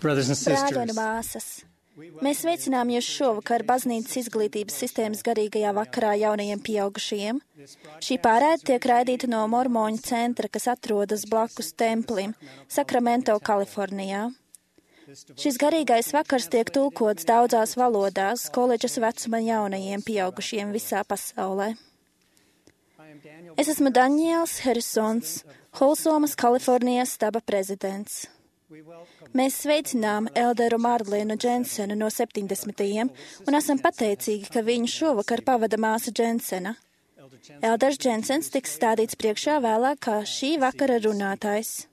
Brāļi un māsas, mēs sveicinām jūs šovakar baznīcas izglītības sistēmas garīgajā vakarā jaunajiem pieaugušajiem. Šī pārēde tiek raidīta no Mormoņu centra, kas atrodas blakus templim, Sakramento, Kalifornijā. Šis garīgais vakars tiek tulkots daudzās valodās koledžas vecuma jaunajiem pieaugušiem visā pasaulē. Es esmu Daniels Harrisons, Holsomas, Kalifornijas staba prezidents. Mēs sveicinām Elderu Marlinu Džensenu no 70. un esam pateicīgi, ka viņu šovakar pavada māsa Džensena. Elders Džensens tiks stādīts priekšā vēlāk kā šī vakara runātājs.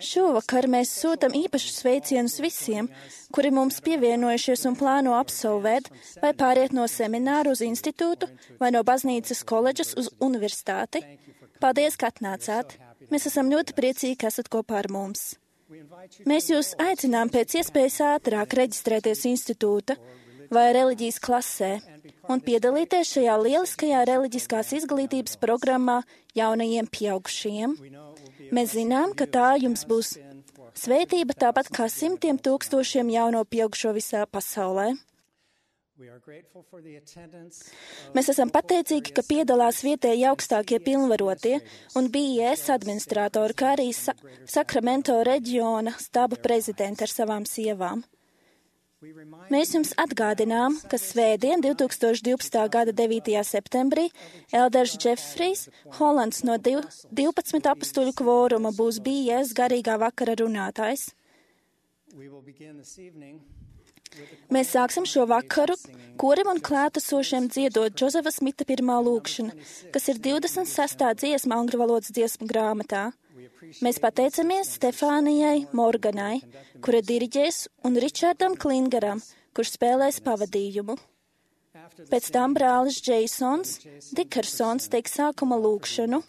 Šovakar mēs sūtam īpašus sveicienus visiem, kuri mums pievienojušies un plāno absolvēt vai pāriet no semināru uz institūtu vai no baznīcas koledžas uz universitāti. Paldies, ka atnācāt! Mēs esam ļoti priecīgi, ka esat kopā ar mums. Mēs jūs aicinām pēc iespējas ātrāk reģistrēties institūta vai reliģijas klasē un piedalīties šajā lieliskajā reliģiskās izglītības programmā jaunajiem pieaugušajiem. Mēs zinām, ka tā jums būs svētība tāpat kā simtiem tūkstošiem jauno pieaugušo visā pasaulē. Mēs esam pateicīgi, ka piedalās vietēji augstākie pilnvarotie un BIS administratori, kā arī Sakramento reģiona staba prezidenti ar savām sievām. Mēs jums atgādinām, ka svētdien 2012. gada 9. septembrī Elders Džefrijs Holands no 12 apustuļu kvoruma būs BIS garīgā vakara runātājs. Mēs sāksim šo vakaru korim un klātesošiem dziedot Džozefa Smita pirmā lūkšana, kas ir 26. dziesma angļu valodas dziesmu grāmatā. Mēs pateicamies Stefānijai Morganai, kura diriģēs, un Ričardam Klingaram, kurš spēlēs pavadījumu. Pēc tam brālis Džeisons Dikersons teiks sākuma lūkšanu.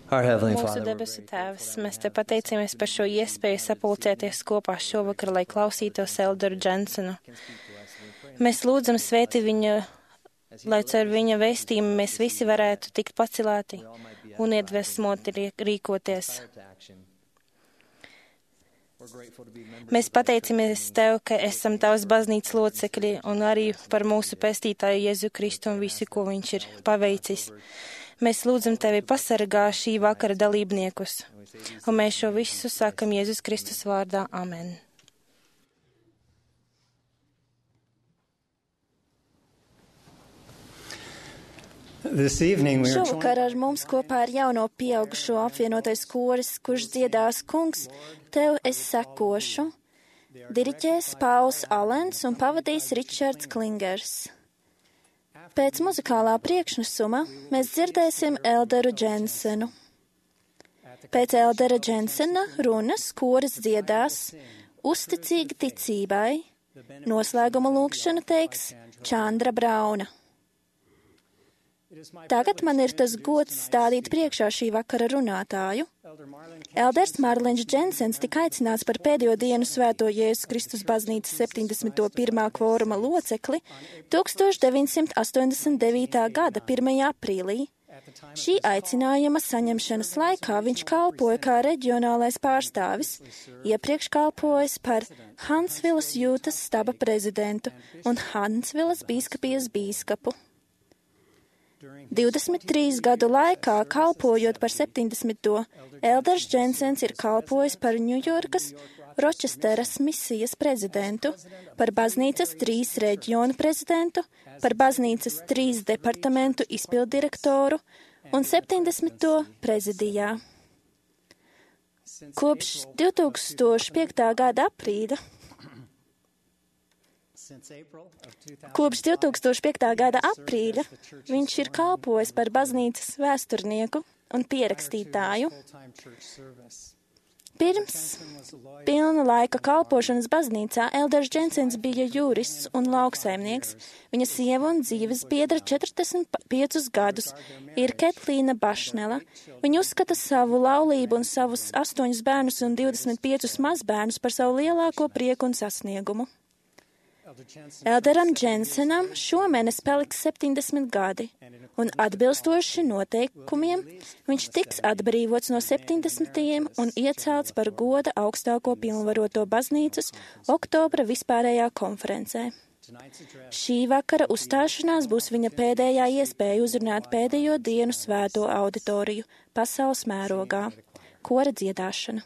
Mūsu debesu Tēvs, mēs te pateicamies par šo iespēju sapulcēties kopā šovakar, lai klausītos Elderu Džensenu. Mēs lūdzam svēti viņu, lai caur viņa vēstījumu mēs visi varētu tikt pacelāti un iedvesmoti rīkoties. Mēs pateicamies Tev, ka esam Tavas baznīcas locekļi un arī par mūsu pestītāju Jēzu Kristu un visu, ko viņš ir paveicis. Mēs lūdzam Tevi pasargā šī vakara dalībniekus, un mēs šo visu sākam Jēzus Kristus vārdā. Amen. Šovakar ar mums kopā ir jauno pieaugušo apvienotais koris, kurš dziedās Kungs, Tev es sekošu. Diriģēs Pauls Alens un pavadīs Ričards Klingers. Pēc muzikālā priekšnesuma mēs dzirdēsim Elderu Džensenu. Pēc Eldera Džensena runas koris dziedās Uzticīgi ticībai. Noslēguma lūgšanu teiks Čandra Brauna. Tagad man ir tas gods stādīt priekšā šī vakara runātāju. Elders Marlins Džensens tika aicināts par pēdējo dienu Svēto Jēzus Kristus baznīcas 71. kvoruma locekli 1989. gada 1. aprīlī. Šī aicinājuma saņemšanas laikā viņš kalpoja kā reģionālais pārstāvis, iepriekš kalpojis par Hansvilas jūtas staba prezidentu un Hansvilas bīskapijas bīskapu. 23 gadu laikā, kalpojot par 70. Elders Džensens ir kalpojis par Ņujorkas Ročesteras misijas prezidentu, par baznīcas 3 reģionu prezidentu, par baznīcas 3 departamentu izpildirektoru un 70. prezidijā. Kopš 2005. gada aprīļa viņš ir kalpojis par baznīcas vēsturnieku un pierakstītāju. Pirms pilna laika kalpošanas baznīcā Elders Džensens bija jurists un lauksaimnieks. Viņa sieva un dzīves biedra 45 gadus ir Ketlīna Bašnela. Viņa uzskata savu laulību un savus 8 bērnus un 25 mazbērnus par savu lielāko prieku un sasniegumu. Elderam Džensenam šomēnes paliks 70 gadi, un atbilstoši noteikumiem viņš tiks atbrīvots no 70. un iecelts par goda augstāko pilnvaroto baznīcas oktobra vispārējā konferencē. Šī vakara uzstāšanās būs viņa pēdējā iespēja uzrunāt pēdējo dienu svēto auditoriju pasaules mērogā - kora dziedāšana.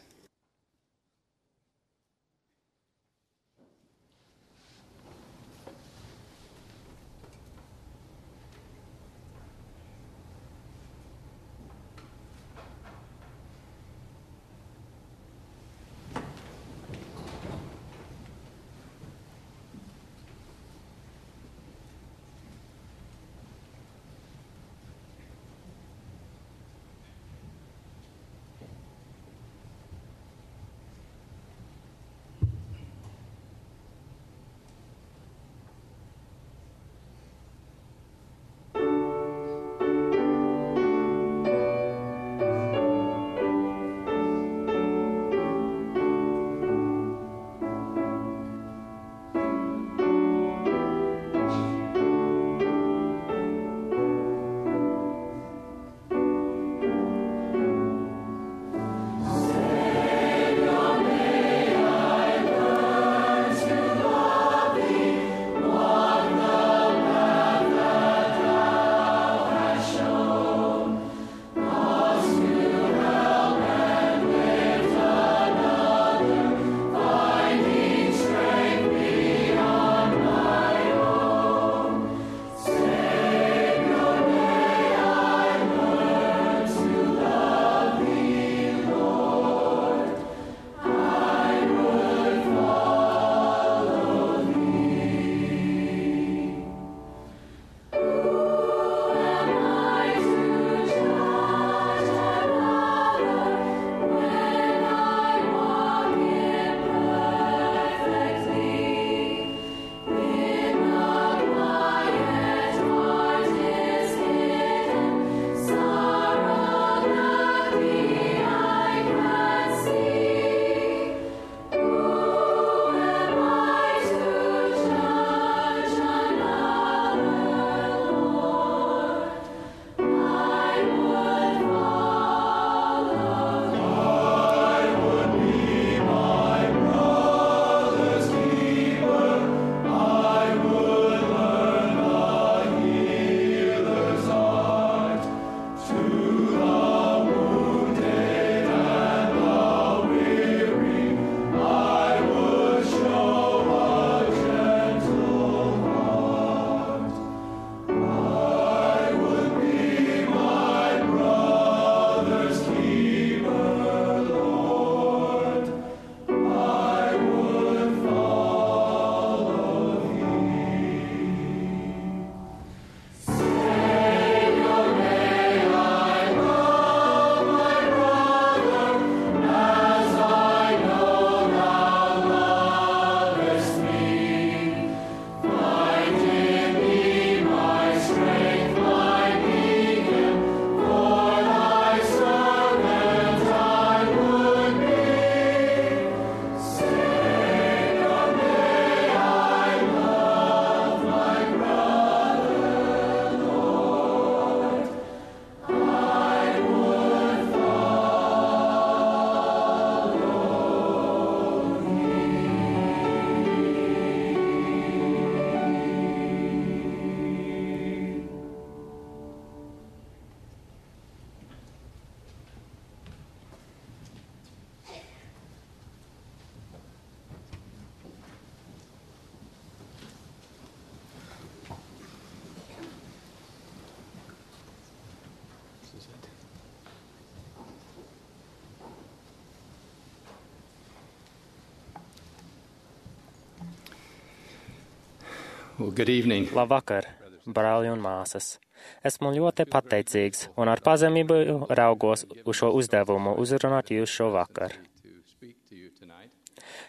Good evening. Labvakar, brāļi un māsas. Esmu ļoti pateicīgs un ar pazemību raugos uz šo uzdevumu uzrunāt jūs šo vakaru.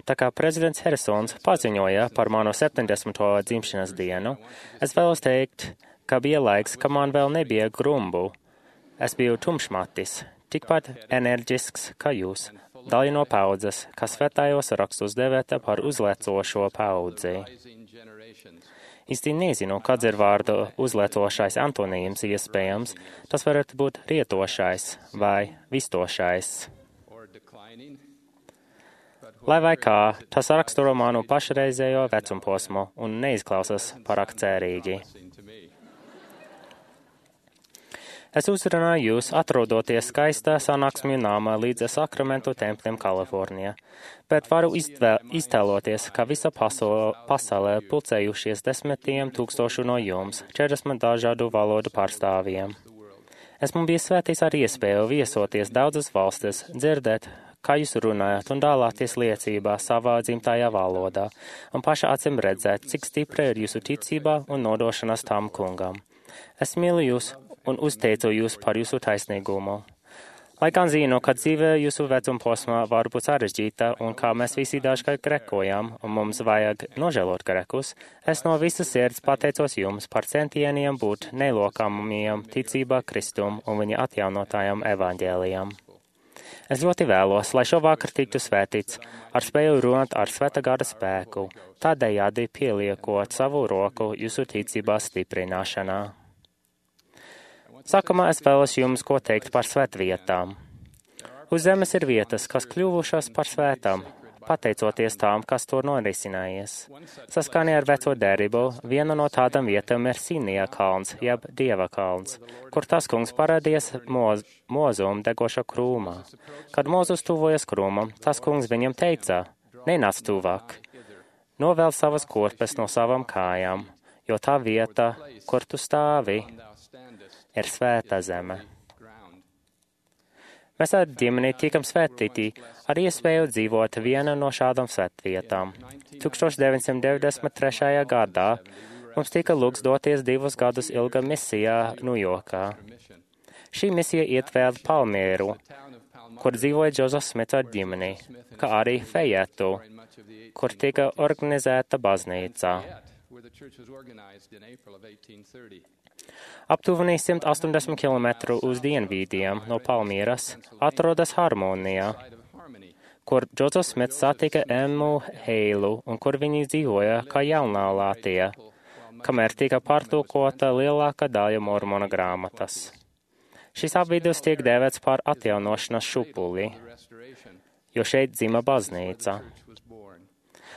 Tā kā prezidents Harrisons paziņoja par manu 70. dzimšanas dienu, es vēlos teikt, ka bija laiks, ka man vēl nebija grumbu. Es biju tumšmatis, tikpat enerģisks kā jūs, daļa no paudzes, kas svētājos rakstus devēta par uzlecošo paudzi. Īsti nezinu, kāds ir vārdu uzlecošais antonīms iespējams, tas varētu būt rietošais vai vistošais. Lai vai kā, tas raksturo manu pašreizējo vecumposmu un neizklausās pārāk cerīgi. Es uzrunāju jūs, atrodoties skaistā sanāksmju nāmā līdz Sakramentu templim Kalifornijā, bet varu iztēloties, ka visa pasaulē pulcējušies 10 000 no jums, 40 dažādu valodu pārstāvjiem. Esmu bijis svētīts ar iespēju viesoties daudzas valstis, dzirdēt, kā jūs runājat un dalāties liecībā savā dzimtajā valodā, un paša acīm redzēt, cik stipra ir jūsu ticībā un nodošanās tam kungam. Es mīlu jūs un uzteicu jūs par jūsu taisnīgumu. Lai gan zinu, ka dzīve jūsu vecumposmā var būt sarežģīta un kā mēs visi dažkārt grekojam un mums vajag nožēlot grekus, es no visas sirds pateicos jums par centieniem būt nelokamiem ticībā Kristum un viņa atjaunotājam evaņģēlijam. Es ļoti vēlos, lai šovakar tiktu svētīts ar spēju runāt ar Svētā gara spēku, tādējādi pieliekot savu roku jūsu ticībā stiprināšanā. Sākumā es vēlos jums ko teikt par svētvietām. Uz zemes ir vietas, kas kļuvušas par svētām, pateicoties tām, kas tur norisinājies. Saskaņā ar veco derību, viena no tādām vietām ir Sinija kalns, jeb Dieva kalns, kur tas kungs parādījās Mozum degoša krūmā. Kad Mozus tuvojas krūmam, tas kungs viņam teica, nenāc tuvāk, novēl savas kurpes no savām kājām, jo tā vieta, kur tu stāvi, ir svēta zeme. Mēs ar ģimeni tikam svētīti ar iespēju dzīvot viena no šādām svētvietām. 1993. gadā mums tika lūgts doties 2 gadus ilga misijā Ņujorkā. Šī misija ietvēra Palmieru, kur dzīvoja Džozefs Smits ar ģimeni, kā arī Fejetu, kur tika organizēta baznīca. Aptuveni 180 km uz dienvidiem no Palmieras atrodas Harmonijā, kur Džozefs Smits satika Emmu Heilu un kur viņi dzīvoja kā jaunā Latvija, kamēr tika pārtulkota lielākā daļa mormona grāmatas. Šis apvidus tiek dēvēts par atjaunošanas šupuli, jo šeit dzima baznīca.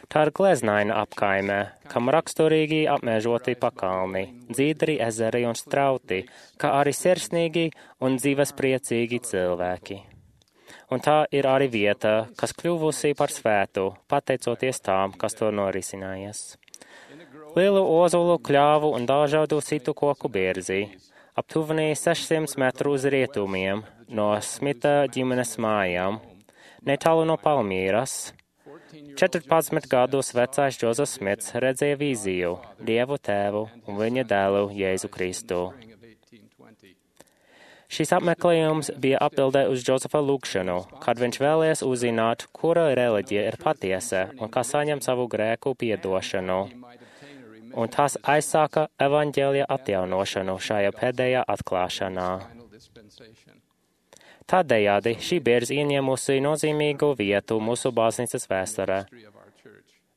Tā ir gleznaina apkaimē, kam raksturīgi apmežoti pakalni, dzīdri ezeri un strauti, kā arī sirsnīgi un dzīvespriecīgi cilvēki. Un tā ir arī vieta, kas kļuvusi par svētu, pateicoties tām, kas to norisinājies. Lielu ozolu, kļāvu un dažādu citu koku bierzi, aptuveni 600 metru uz rietumiem no Smita ģimenes mājām, netālu no Palmīras. 14 gadus vecais Džozefs Smits redzēja vīziju, Dievu tēvu un viņa dēlu Jēzu Kristu. Šis apmeklējums bija atbildē uz Džozefa lūgšanu, kad viņš vēlējās uzzināt, kura reliģija ir patiesa un kā saņem savu grēku piedošanu. Un tas aizsāka evaņģēlija atjaunošanu šajā pēdējā atklāšanā. Tādējādi šī bierze ieņēmusi nozīmīgu vietu mūsu baznīcas vēsturē,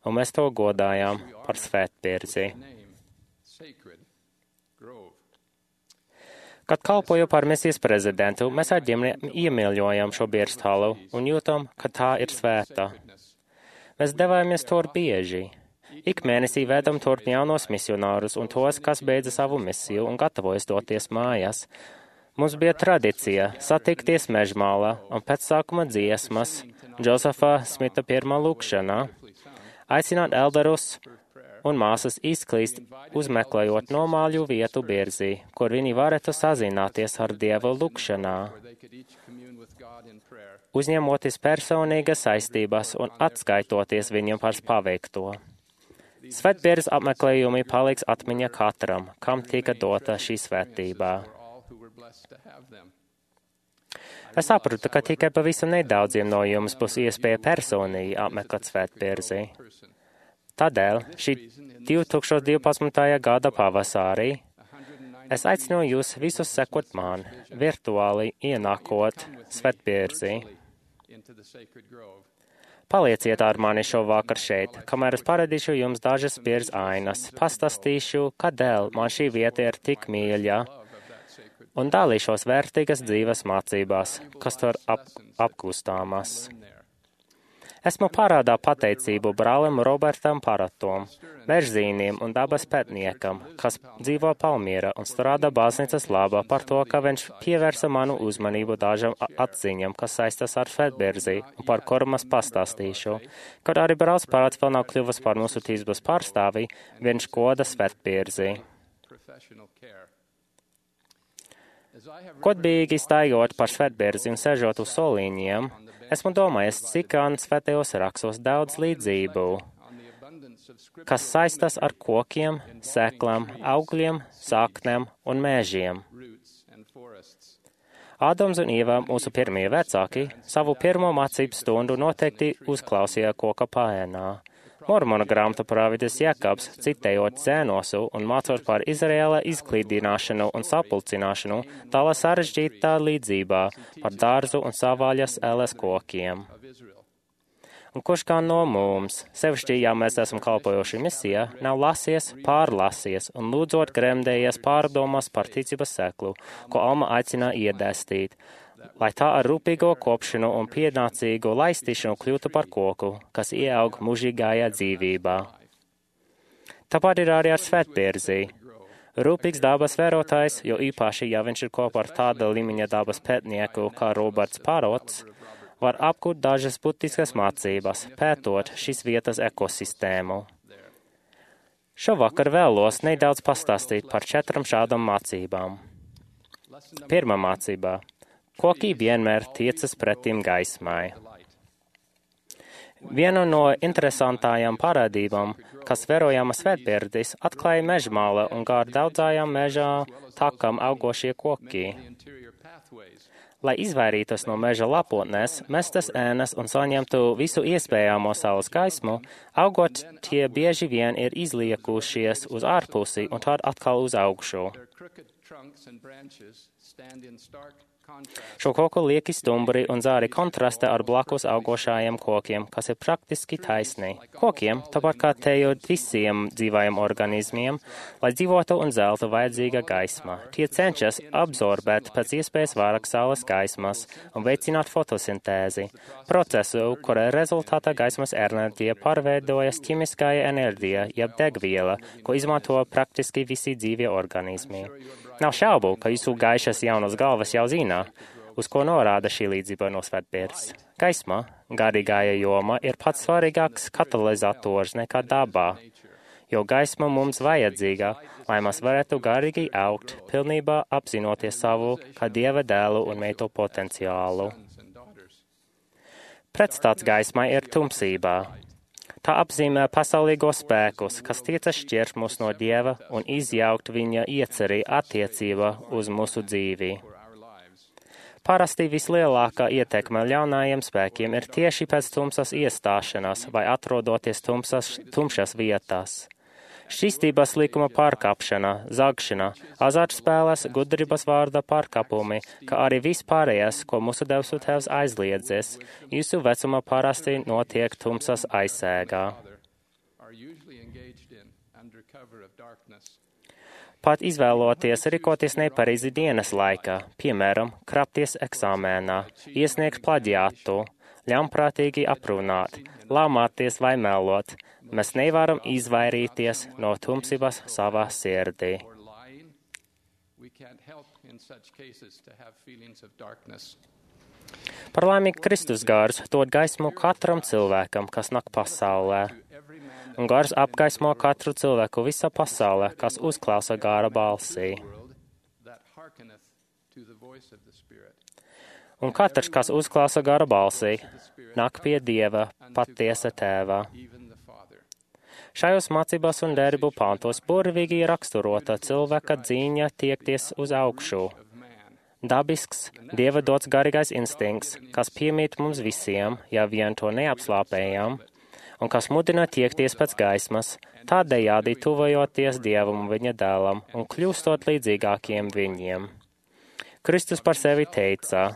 un mēs to godājām par svētbierzi. Kad kalpoju par misijas prezidentu, mēs ar ģimeni iemīļojam šo bierztalu un jūtam, ka tā ir svēta. Mēs devāmies tur bieži. Ik mēnesī vedam turp jaunos misionārus un tos, kas beidza savu misiju un gatavojas doties mājās. Mums bija tradīcija satikties Mežmālā un pēc sākuma dziesmas Džozefa Smita pirmā lūgšanā aicināt elderus un māsas izklīst, uzmeklējot nomāļu vietu bierzī, kur viņi varētu sazināties ar Dievu lūgšanā, uzņemoties personīgas saistības un atskaitoties viņam par paveikto. Svētbieras apmeklējumi paliks atmiņā katram, kam tika dota šī svētībā. Es saprotu, ka tikai pavisam nedaudziem no jums būs iespēja personīgi apmeklēt svētbierzi. Tādēļ šī 2012. gada pavasarī es aicinu jūs visus sekot man, virtuāli ienākot svētbierzi. Palieciet ar mani šovakar šeit, kamēr es parādīšu jums dažas pieres ainas, pastāstīšu, kādēļ man šī vieta ir tik mīļa, un dalīšos vērtīgas dzīves mācībās, kas tur apgūstāmas. Esmu parādā pateicību brālim Robertam Paratom, mežzīnim un dabas pētniekam, kas dzīvo Palmīra un strādā baznīcas labā par to, ka viņš pievērsa manu uzmanību dažam atziņam, kas saistas ar svētbierzi un par kuru es pastāstīšu. Kad arī brālis Parats vēl nav kļuvis par mūsu tīzbas pārstāvi, viņš goda svētbierzi. Godīgi staigājot par svētbierzi un sēžot uz solīņiem, esmu domājis, cik gan svētajos rakstos daudz līdzību, kas saistas ar kokiem, sēklām, augļiem, saknēm un mēžiem. Ādams un Ieva, mūsu pirmie vecāki, savu pirmo mācību stundu noteikti uzklausīja koka paēnā. Mormona grāmatu prāvidis Jakabs, citējot Zēnosu un mācot par Izraēla izklīdināšanu un sapulcināšanu, tālā sarežģītā līdzībā par dārzu un savvaļas ēles kokiem. Un kurš kā no mums, sevišķi, ja mēs esam kalpojoši misijā, nav lasies, pārlasies un lūdzot gremdējies pārdomas par ticības seklu, ko Alma aicina iedēstīt, lai tā ar rūpīgo kopšanu un pienācīgu laistīšanu kļūtu par koku, kas ieaug mūžīgajā dzīvībā. Tāpat ir arī ar svētbierzi. Rūpīgs dabas vērotājs, jo īpaši, ja viņš ir kopā ar tāda līmeņa dabas pētnieku kā Roberts Parots, var apgūt dažas būtiskas mācības, pētot šīs vietas ekosistēmu. Šovakar vēlos nedaudz pastāstīt par 4 šādām mācībām. Pirmā mācība. Koki vienmēr tiecas pretim gaismai. Viena no interesantākajām parādībām, kas vērojama svētbierdis, atklāja mežmāla un gar daudzajām mežā takām augošie koki. Lai izvairītos no meža lapotnēs, mestas ēnas un saņemtu visu iespējamo saules gaismu, augot tie bieži vien ir izliekušies uz ārpusi un tad atkal uz augšu. Šo koku lieki stumbri un zāri kontrasta ar blakus augošajiem kokiem, kas ir praktiski taisni. Kokiem, tāpat kā teju visiem dzīvajiem organismiem, lai dzīvotu un zeltu vajadzīga gaisma. Tie cenšas absorbēt pēc iespējas vairāk saules gaismas un veicināt fotosintēzi, procesu, kura rezultātā gaismas enerģija pārveidojas ķimiskajā enerģija, jeb degviela, ko izmanto praktiski visi dzīvie organismi. Nav šaubu, ka jūsu gaišas jaunas galvas jau zina, uz ko norāda šī līdzība no svētbierdes. Gaisma, garīgāja joma, ir pats svarīgāks katalizators nekā dabā, jo gaisma mums vajadzīga, lai mēs varētu garīgi augt, pilnībā apzinoties savu kā Dieva dēlu un meitu potenciālu. Pretstats gaismai ir tumsībā. Tā apzīmē pasaulīgo spēkus, kas tiecas šķirt mūs no Dieva un izjaukt viņa ieceri attiecībā uz mūsu dzīvi. Parasti vislielākā ietekme ļaunajiem spēkiem ir tieši pēc tumsas iestāšanās vai atrodoties tumšas vietās. Šķīstības likuma pārkāpšana, zagšana, azartspēles, gudrības vārda pārkāpumi, kā arī vispārējais, ko mūsu debesu Tēvs aizliedzis, jūsu vecumā parasti notiek tumsas aizsēgā. Pat izvēloties rīkoties nepareizi dienas laikā, piemēram, krapties eksāmēnā, iesniegt plaģiātu, ļaunprātīgi aprunāt, lamāties vai melot, mēs nevaram izvairīties no tumsības savā sirdī. Par laimi Kristus gars dod gaismu katram cilvēkam, kas nāk pasaulē. Un gars apgaismo katru cilvēku visā pasaulē, kas uzklausa gāra balsī. Un katrs, kas uzklausa gāra balsī, nāk pie Dieva, patiesa Tēva. Šajos mācībās un derību pantos burvīgi raksturota cilvēka dzīņa tiekties uz augšu. Dabisks, Dieva dots garīgais instinkts, kas piemīt mums visiem, ja vien to neapslāpējam, un kas mudina tiekties pēc gaismas, tādējādi tuvojoties Dievam un viņa dēlam un kļūstot līdzīgākiem viņiem. Kristus par sevi teica: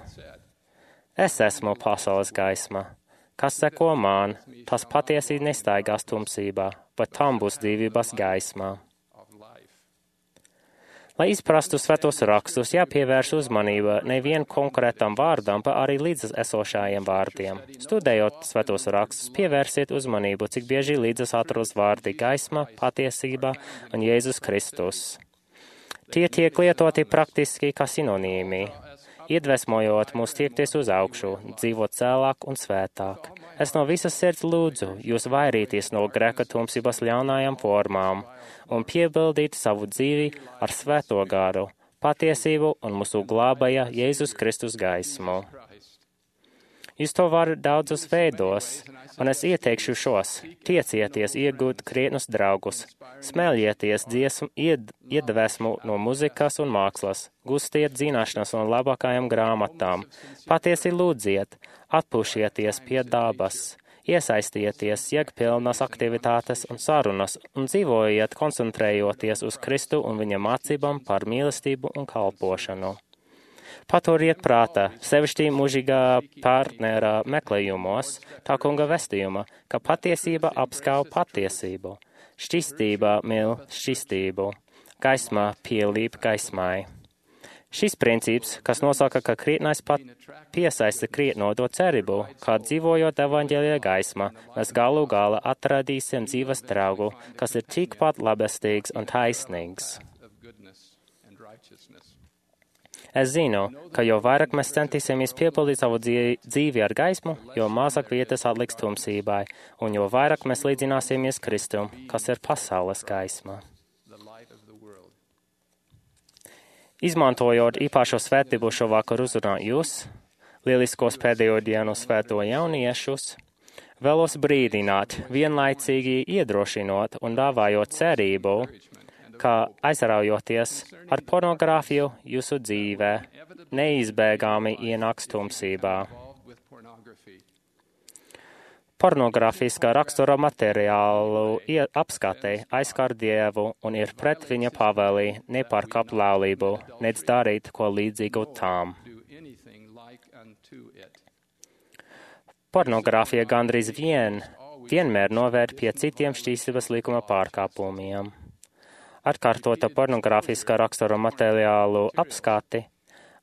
Es esmu pasaules gaisma. Kas seko man, tas patiesi nestaigās tumsībā, bet tam būs dzīvības gaismā. Lai izprastu svētos rakstus, jāpievērš uzmanība nevien konkrētam vārdam, bet arī līdzas esošajiem vārdiem. Studējot svētos rakstus, pievērsiet uzmanību, cik bieži līdzas atrodas vārdi gaisma, patiesība un Jēzus Kristus. Tie tiek lietoti praktiski kā sinonīmi, iedvesmojot mūs tiekties uz augšu, dzīvot cēlāk un svētāk. Es no visas sirds lūdzu jūs vairīties no grēka tumsības ļaunajām formām un piebildīt savu dzīvi ar svēto garu, patiesību un mūsu glābāja Jēzus Kristus gaismu. Jūs to varat daudzos veidos, un es ieteikšu šos. Tiecieties iegūt krietnus draugus, smēļieties iedvesmu no muzikas un mākslas, gustiet zināšanas no labākajām grāmatām, patiesi lūdziet, atpūšieties pie dabas, iesaistieties jēgpilnas aktivitātes un sarunas un dzīvojiet koncentrējoties uz Kristu un viņa mācībām par mīlestību un kalpošanu. Paturiet prātā, sevišķi mūžīgā partnera meklējumos, tā kunga vestījuma, ka patiesība apskauj patiesību, šķistība mīl šķistību, gaismā pielīp gaismai. Šis princips, kas nosaka, ka krietnais piesaista krietno to cerību, kā dzīvojot evaņģēlijā gaismā, mēs galu galā atradīsim dzīves draugu, kas ir tikpat labestīgs un taisnīgs. Es zinu, ka jo vairāk mēs centīsimies piepildīt savu dzīvi ar gaismu, jo mazāk vietas atliks tumsībai, un jo vairāk mēs līdzināsimies Kristum, kas ir pasaules gaisma. Izmantojot īpašo svētību šovakar uzrunāt jūs, lieliskos pēdējo dienu svēto jauniešus, vēlos brīdināt, vienlaicīgi iedrošinot un dāvājot cerību, ka aizraujoties ar pornogrāfiju jūsu dzīvē, neizbēgami ienāks tumsībā. Pornogrāfiskā rakstura materiālu apskate aizskar Dievu un ir pret viņa pavēli nepārkāpt laulību, nec darīt ko līdzīgu tām. Pornogrāfija gandrīz vienmēr novērt pie citiem šķīstības likuma pārkāpumiem. Atkārtota pornogrāfiskā rakstura materiālu apskati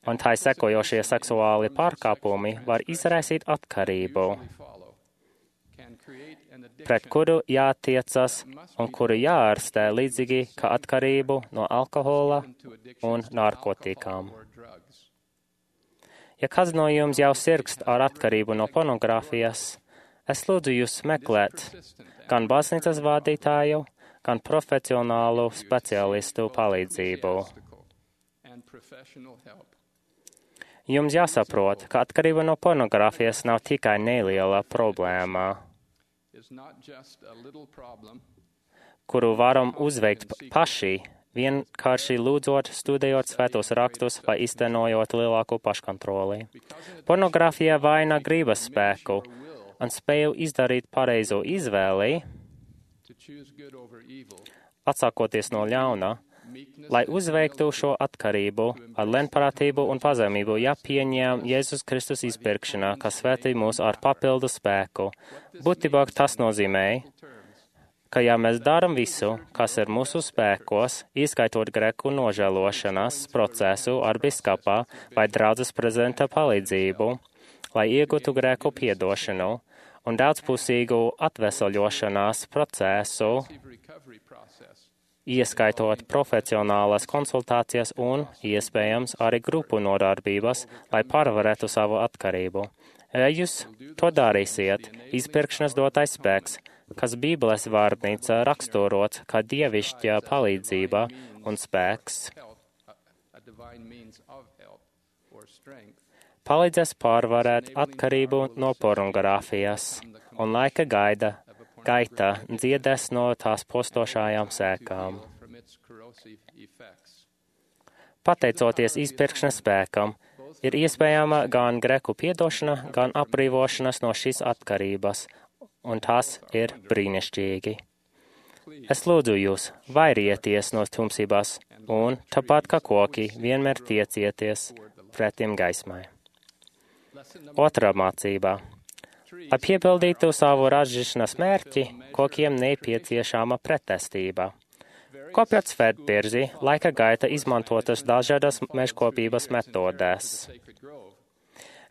un tai sekojošie seksuāli pārkāpumi var izraisīt atkarību, pret kuru jātiecas un kuru jāārstē līdzīgi kā atkarību no alkohola un narkotikām. Ja kāds no jums jau sirgst ar atkarību no pornogrāfijas, es lūdzu jūs meklēt gan baznīcas vadītāju, gan profesionālu speciālistu palīdzību. Jums jāsaprot, ka atkarība no pornogrāfijas nav tikai neliela problēma, kuru varam uzveikt paši, vienkārši lūdzot, studējot svētos rakstus vai iztenojot lielāku paškontroli. Pornogrāfija vaina gribas spēku un spēju izdarīt pareizo izvēli, atsākoties no ļauna, lai uzveiktu šo atkarību ar lēnprātību un pazemību, jāpieņem Jēzus Kristus izpirkšanā, kas svētī mūs ar papildu spēku. Būtībā tas nozīmē, ka ja mēs darām visu, kas ir mūsu spēkos, izskaitot grēku nožēlošanas procesu ar biskupā vai draudzes prezidenta palīdzību, lai iegūtu grēku piedošanu, un daudzpusīgu atvesaļošanās procesu, ieskaitot profesionālas konsultācijas un, iespējams, arī grupu nodarbības, lai pārvarētu savu atkarību. Ja jūs to darīsiet, izpirkšanas dotais spēks, kas Bībeles vārnīca raksturots kā dievišķa palīdzība un spēks, palīdzēs pārvarēt atkarību no pornogrāfijas un laika gaida gaita dziedēs no tās postošajām sēkām. Pateicoties izpirkšanas spēkam, ir iespējama gan greku piedošana, gan atbrīvošanas no šīs atkarības, un tas ir brīnišķīgi. Es lūdzu jūs, vairieties no tumsībās, un, tāpat kā koki, vienmēr tiecieties pretim gaismai. Otrā mācība. Lai piepildītu savu ražīšanas mērķi, kokiem nepieciešama pretestība. Kopjot svētbirzi, laika gaita izmantotas dažādas mežkopības metodēs.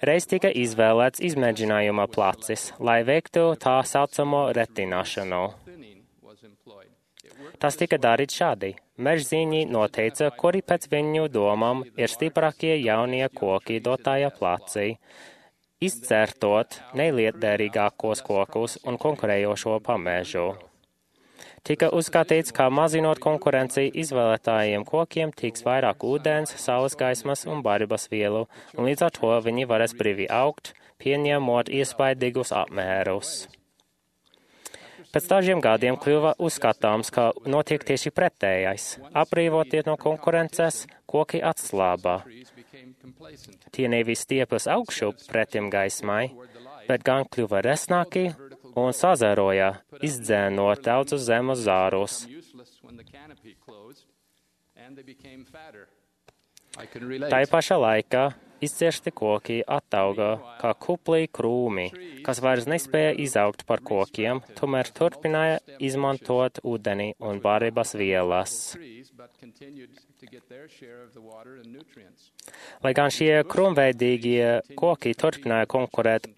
Reiz tika izvēlēts izmēģinājuma placis, lai veiktu tā saucamo retināšanu. Tas tika darīts šādi. Mežziņi noteica, kuri pēc viņu domām ir stiprākie jaunie koki dotajā placī, izcertot nelietderīgākos kokus un konkurējošo pamežu. Tika uzskatīts, ka mazinot konkurenciju izvēlētājiem kokiem tiks vairāk ūdens, saules gaismas un barības vielu, un līdz ar to viņi varēs brīvi augt, pieņemot iespaidīgus apmērus. Pēc dažiem gadiem kļuva uzskatāms, ka notiek tieši pretējais. Atbrīvoties no konkurences, koki atslāba. Tie nevis stiepjas augšu pretim gaismai, bet gan kļuva resnāki un sazēroja, izdzēnot daudzus zemes zārus. Tā pašā laikā izciešti koki attauga kā kuplī krūmi, kas vairs nespēja izaugt par kokiem, tomēr turpināja izmantot ūdeni un barības vielas. Lai gan šie krūmveidīgie koki turpināja konkurēt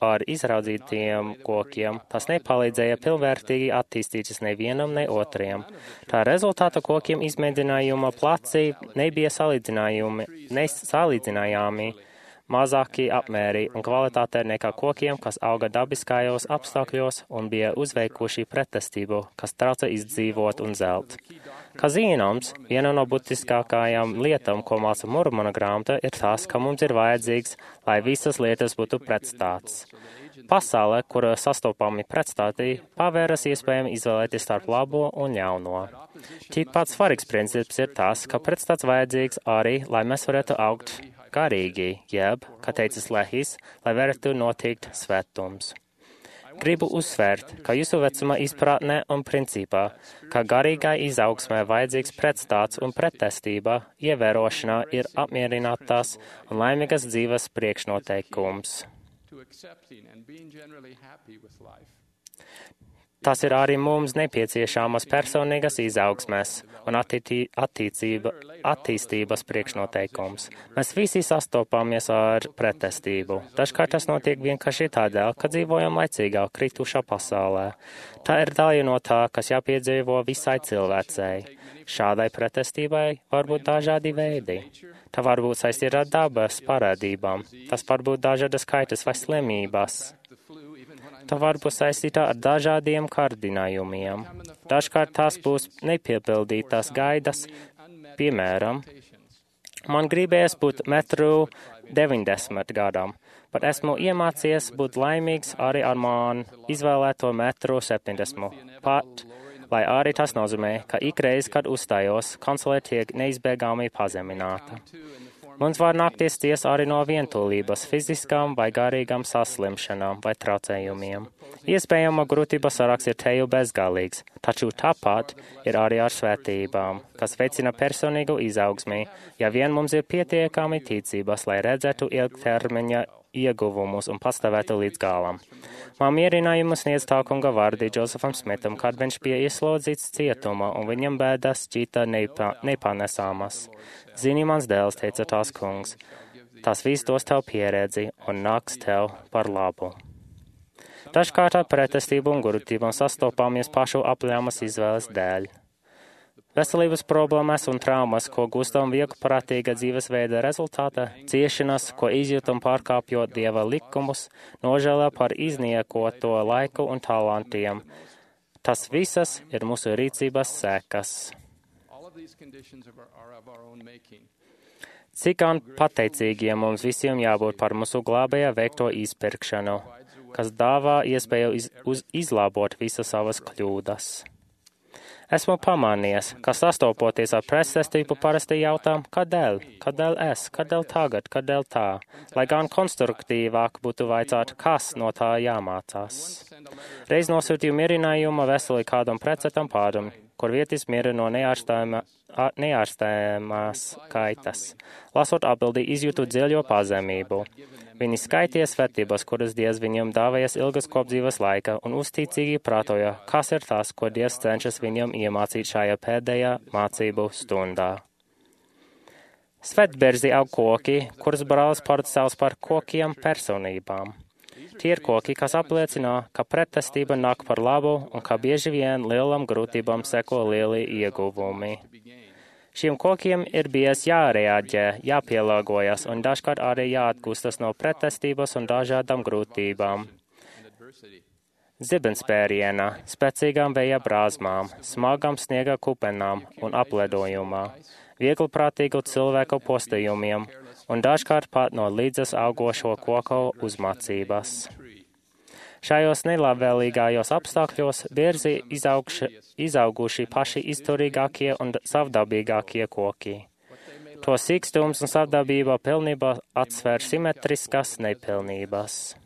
ar izraudzītiem kokiem, tas nepalīdzēja pilnvērtīgi attīstīties nevienam, ne otriem. Tā rezultāta kokiem izmēģinājuma placī nebija salīdzinājami mazāki apmēri un kvalitāte nekā kokiem, kas auga dabiskajos apstākļos un bija uzveikuši pretestību, kas trauca izdzīvot un zelt. Kā zināms, viena no būtiskākajām lietām, ko māca Mormona grāmata, ir tas, ka mums ir vajadzīgs, lai visas lietas būtu pretstāts. Pasaule, kur sastopami pretstāti, pavēras iespējami izvēlēties starp labo un ļauno. Tikpat svarīgs princips ir tas, ka pretstāts vajadzīgs arī, lai mēs varētu augt garīgi, jeb, kā teicis Lehis, lai varētu notikt svētums. Gribu uzsvērt, ka jūsu vecuma izpratnē un principā, ka garīgai izaugsmē vajadzīgs pretstāts un pretestība, ievērošanā ir apmierinātās un laimīgas dzīves priekšnoteikums. Tas ir arī mums nepieciešamas personīgas izaugsmes un attīstības priekšnoteikums. Mēs visi sastopamies ar pretestību. Dažkārt tas notiek vienkārši tādēļ, ka dzīvojam laicīgā, kritušā pasaulē. Tā ir daļa no tā, kas jāpiedzīvo visai cilvēcei. Šādai pretestībai var būt dažādi veidi. Tā var būt saistīta ar dabas parādībām. Tas var būt dažādas kaitas vai slimības. Tā var būt saistīta ar dažādiem kārdinājumiem. Dažkārt tās būs nepiepildītās gaidas. Piemēram, man gribējas būt 1,90 m gadam, bet esmu iemācījies būt laimīgs arī ar man izvēlēto 1,70 m. Pat, lai arī tas nozīmē, ka ikreiz, kad uzstājos, konsole tiek neizbēgami pazemināta. Mums var nākties ciest arī no vientulības, fiziskām vai garīgām saslimšanām vai traucējumiem. Iespējama grūtība saraksts ir teju bezgalīgs, taču tāpat ir arī ar svētībām, kas veicina personīgu izaugsmi, ja vien mums ir pietiekami ticības, lai redzētu ilgtermiņa ieguvumus un pastāvētu līdz galam. Man mierinājumu sniedz tā kunga vārdi Džozefam Smitam, kad viņš bija ieslodzīts cietumā un viņam bēdas šķita nepanesāmas. Zini, mans dēls, teica tās kungs, tas viss dos tev pieredzi un nāks tev par labu. Dažkārt ar pretestību un grūtībām sastopāmies pašu apļāmas izvēles dēļ. Veselības problēmas un traumas, ko gūstam vieglprātīga dzīvesveida rezultātā, ciešanas, ko izjūtam pārkāpjot Dieva likumus, nožēlā par izniekoto laiku un talantiem. Tas visas ir mūsu rīcības sekas. Cik gan pateicīgiem mums visiem jābūt par mūsu glābēja veikto izpirkšanu. kas dāvā iespēju izlabot visas savas kļūdas. Esmu pamanījies, ka sastopoties ar pretestību parasti jautām, kādēļ, kādēļ es, kādēļ tagad, kādēļ tā, lai gan konstruktīvāk būtu vaicāt, kas no tā jāmācās. Reiz nosūtīju mierinājumu veseli kādam precetam pāram, kur vietis miera no neārstējamās kaitas. Lasot atbildi, izjūtu dziļo pazemību. Viņi skaitīja svētības, kuras Dievs viņam dāvējas ilgas kopdzīves laika, un uzticīgi prātoja, kas ir tas, ko Dievs cenšas viņam iemācīt šajā pēdējā mācību stundā. Svētberzi aug koki, kurus brālis sauc par kokiem personībām. Tie ir koki, kas apliecina, ka pretestība nāk par labu un ka bieži vien lielam grūtībām seko lieli ieguvumi. Šiem kokiem ir bijis jārēģē, jāpielāgojas un dažkārt arī jāatgūstas no pretestības un dažādām grūtībām. Zibenspēriena, spēcīgām vēja brāzmām, smagām sniega kupenām un apledojumā, viegliprātīgu cilvēku postījumiem un dažkārt pat no līdzas augošo koku uzmācības. Šajos nelabvēlīgajos apstākļos bieži izauguši paši izturīgākie un savdabīgākie koki. To sīkstums un savdabība pilnībā atsver simetriskas nepilnības.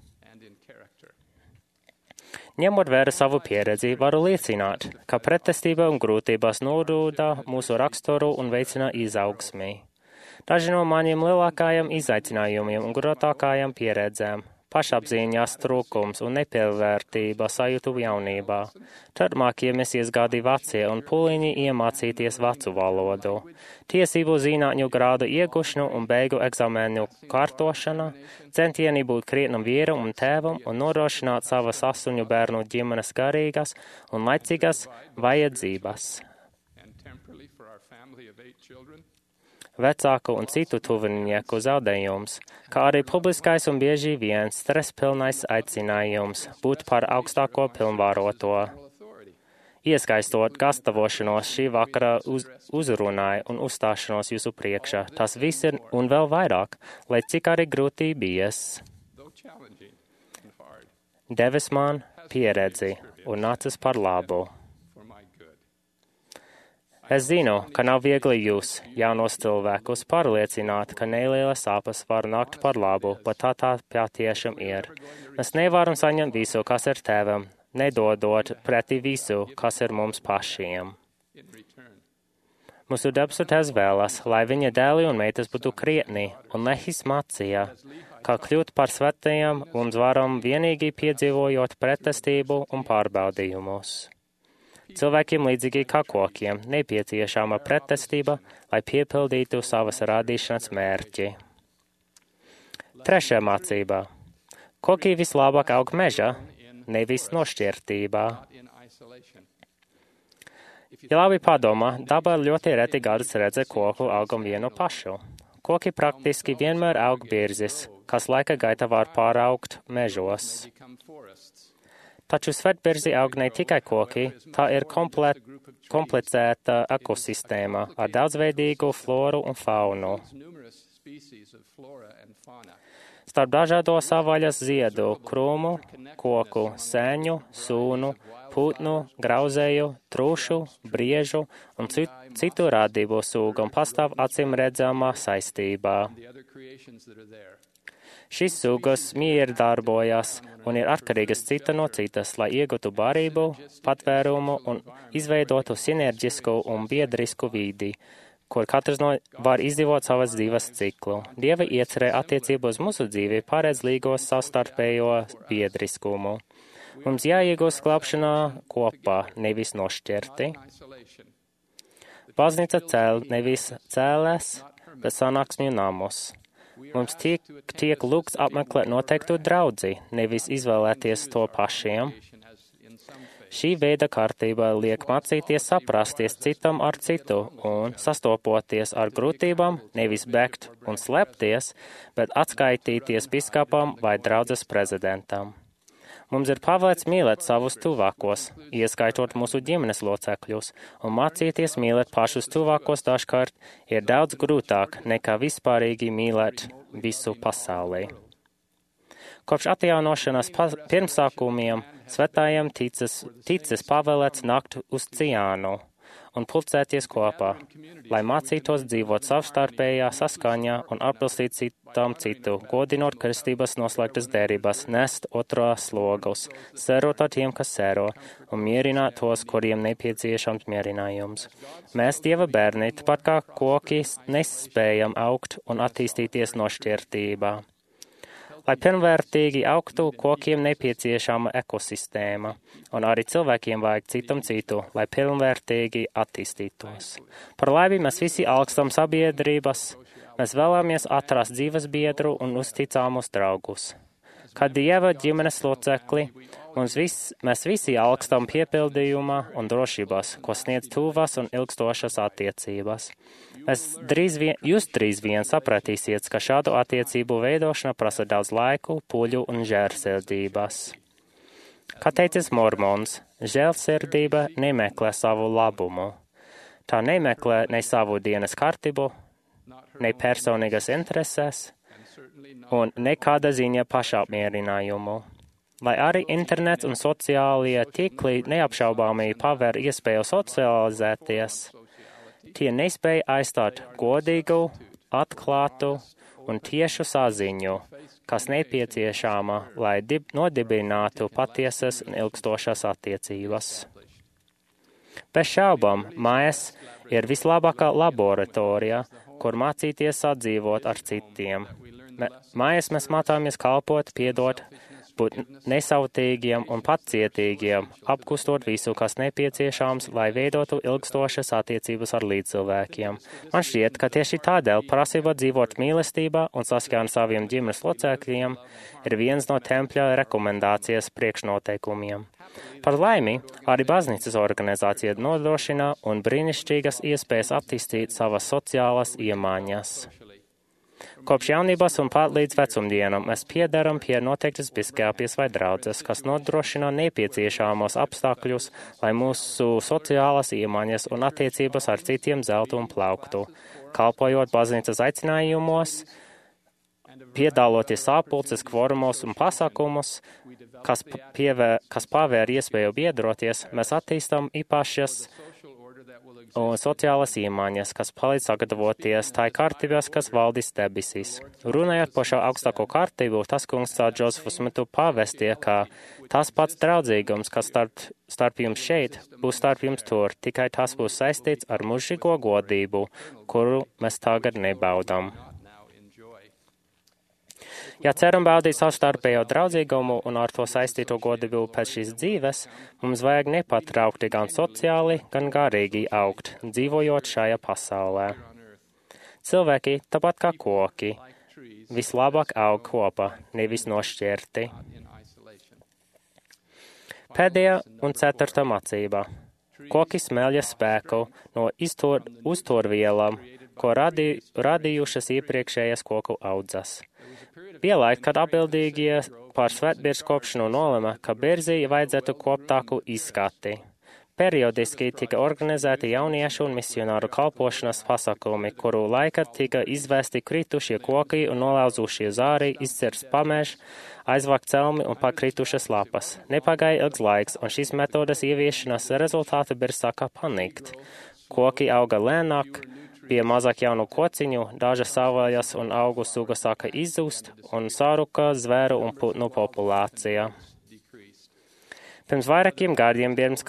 Ņemot vērā savu pieredzi, varu liecināt, ka pretestība un grūtības nodūda mūsu raksturu un veicina izaugsmi. Daži no maniem lielākajiem izaicinājumiem un grūtākajām pieredzēm - pašapziņas trūkums un nepilnvērtība sajūtu jaunībā. Turpmākie mesies gadi vecie un pūliņi iemācīties vecu valodu. Tiesību zinātņu grādu iegūšanu un beigu eksāmenu kārtošana, centieni būt krietnam vīram un tēvam un nodrošināt savas 8 bērnu ģimenes garīgas un laicīgas vajadzības. Vecāku un citu tuvinieku zaudējums, kā arī publiskais un bieži vien stresspilnais aicinājums būt par augstāko pilnvaroto. Ieskaistot gatavošanos šī vakara uzrunai un uzstāšanos jūsu priekšā, tas viss ir un vēl vairāk, lai cik arī grūti bijis. Devis man pieredzi un nācis par labu. Es zinu, ka nav viegli jūs, jaunos cilvēkus, pārliecināt, ka nelielas sāpes var nākt par labu, bet tā patiešām ir. Mēs nevaram saņemt visu, kas ir tevam, nedodot pretī visu, kas ir mums pašiem. Mūsu debesu Tēvs vēlas, lai viņa dēli un meitas būtu krietni un lehismācija, kā kļūt par svētajiem mums varam vienīgi piedzīvojot pretestību un pārbaudījumus. Cilvēkiem līdzīgi kā kokiem nepieciešama pretestība, lai piepildītu savas radīšanas mērķi. Trešā mācība. Koki vislabāk aug mežā, nevis nošķirtībā. Ja labi padomā, dabā ļoti reti gadus redz koku augam vienu pašu. Koki praktiski vienmēr aug birzis, kas laika gaitā var pāraugt mežos. Taču svētberzi aug ne tikai koki, tā ir komplicēta ekosistēma ar daudzveidīgu floru un faunu. Starp dažādo savvaļas ziedu, krūmu, koku, sēņu, sūnu, putnu, grauzēju, trūšu, briežu un citu radību sūgam pastāv acīm redzamā saistībā. Šīs sugas mierdarbojas un ir atkarīgas cita no citas, lai iegūtu barību, patvērumu un izveidotu sinerģisku un biedrisku vidi, kur katrs var izdzīvot savas dzīves ciklu. Dieva iecerē attiecībā uz mūsu dzīvi paredz līgos savstarpējo biedriskumu. Mums jāiegūst glābšanā kopā, nevis nošķirti. Baznīca cēl nevis cēlēs, bet sanāksmju namus. Mums tiek lūgts apmeklēt noteiktu draudzi, nevis izvēlēties to pašiem. Šī veida kārtība liek mācīties saprasties citam ar citu un sastopoties ar grūtībām, nevis bēgt un slēpties, bet atskaitīties biskupam vai draudzes prezidentam. Mums ir pavēlēts mīlēt savus tuvākos, ieskaitot mūsu ģimenes locekļus, un mācīties mīlēt pašus tuvākos dažkārt ir daudz grūtāk nekā vispārīgi mīlēt visu pasaulī. Kopš atjaunošanas pirmsākumiem svētājiem ticis pavēlēts nākt uz Ciānu un pulcēties kopā, lai mācītos dzīvot savstarpējā saskaņā un atbilstīt citam citu, godinot kristības noslēgtas derības, nest otrā slogus, sērot ar tiem, kas sēro, un mierināt tos, kuriem nepieciešams mierinājums. Mēs, Dieva bērni, tāpat kā koki, nespējam augt un attīstīties nošķirtībā. Lai pilnvērtīgi augtu, kokiem nepieciešama ekosistēma, un arī cilvēkiem vajag citam citu, lai pilnvērtīgi attīstītos. Par laimi mēs visi alkstam sabiedrības, mēs vēlamies atrast dzīves biedru un uzticāmus draugus. Kā Dieva ģimenes locekli, mēs visi alkstam piepildījuma un drošības, ko sniedz tuvas un ilgstošas attiecības. Jūs drīz vien sapratīsiet, ka šādu attiecību veidošana prasa daudz laiku, puļu un žēlsirdības. Kā teicis Mormons, žēlsirdība nemeklē savu labumu. Tā nemeklē ne savu dienas kārtību, ne personīgas intereses un nekāda ziņa pašapmierinājumu. Lai arī internets un sociālie tīkli neapšaubāmī paver iespēju socializēties, tie nespēja aizstāt godīgu, atklātu un tiešu saziņu, kas nepieciešama, lai nodibinātu patiesas un ilgstošas attiecības. Bez šaubām, mājas ir vislabākā laboratorija, kur mācīties sadzīvot ar citiem. Mājās mēs mācāmies kalpot, piedot, būt nesautīgiem un pacietīgiem, apkustot visu, kas nepieciešams, lai veidotu ilgstošas attiecības ar līdzcilvēkiem. Man šķiet, ka tieši tādēļ prasība dzīvot mīlestībā un saskaņā ar saviem ģimenes locekļiem ir viens no tempļa rekomendācijas priekšnoteikumiem. Par laimi, arī baznīcas organizācija nodrošina un brīnišķīgas iespējas attīstīt savas sociālas iemaņas. Kopš jaunības un pat līdz vecumdienam mēs piedaram pie noteiktas biskāpjas vai draudzes, kas nodrošina nepieciešamos apstākļus, lai mūsu sociālās iemaņas un attiecības ar citiem zeltu un plauktu, kalpojot baznīcas aicinājumos, piedaloties sapulces, kvorumos un pasākumus, kas pavēr iespēju biedroties, mēs attīstam īpašas un sociālas iemaņas, kas palīdz sagatavoties tai kārtībās, kas valdīs debesīs. Runājot par šo augstāko kārtību, tas kungs caur Džozefu Smitu pavestīja, ka tas pats draudzīgums, kas starp jums šeit, būs starp jums tur, tikai tas būs saistīts ar mūžīgo godību, kuru mēs tagad nebaudām. Ja ceram baudīt savstarpējo draudzīgumu un ar to saistīto godību pēc šīs dzīves, mums vajag nepatraukti gan sociāli, gan garīgi augt, dzīvojot šajā pasaulē. Cilvēki, tāpat kā koki, vislabāk aug kopā, nevis nošķirti. Pēdējā un ceturtā mācība. Koki smelja spēku no uzturvielām, ko radījušas iepriekšējās koku audzes. Bija laika, kad atbildīgie par svētbirzu kopšanu nolēma, ka birzī vajadzētu koptāku izskati. Periodiski tika organizēti jauniešu un misionāru kalpošanas pasākumi, kuru laikā tika izvesti kritušie koki un nolauzušie zāri, izcirsts pamežs, aizvākt celmi un pakritušas lapas. Nepagāja ilgs laiks, un šīs metodas ieviešanas rezultāti birs sāka panikt. Koki auga lēnāk, bija mazāk jaunu kociņu, dažas savvaļas un augu sugas sāka izzust, un sāruka zvēru un putnu populācija. Pirms vairākiem gadiem pirms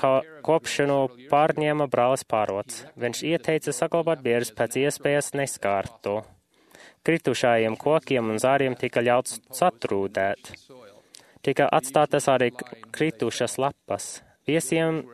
kopšanu pārņēma brālis Pārots. Viņš ieteica saglabāt birzs pēc iespējas neskārtu. Kritušajiem kokiem un zāriem tika ļauts satrūdēt. Tika atstātas arī kritušas lapas. Viesiem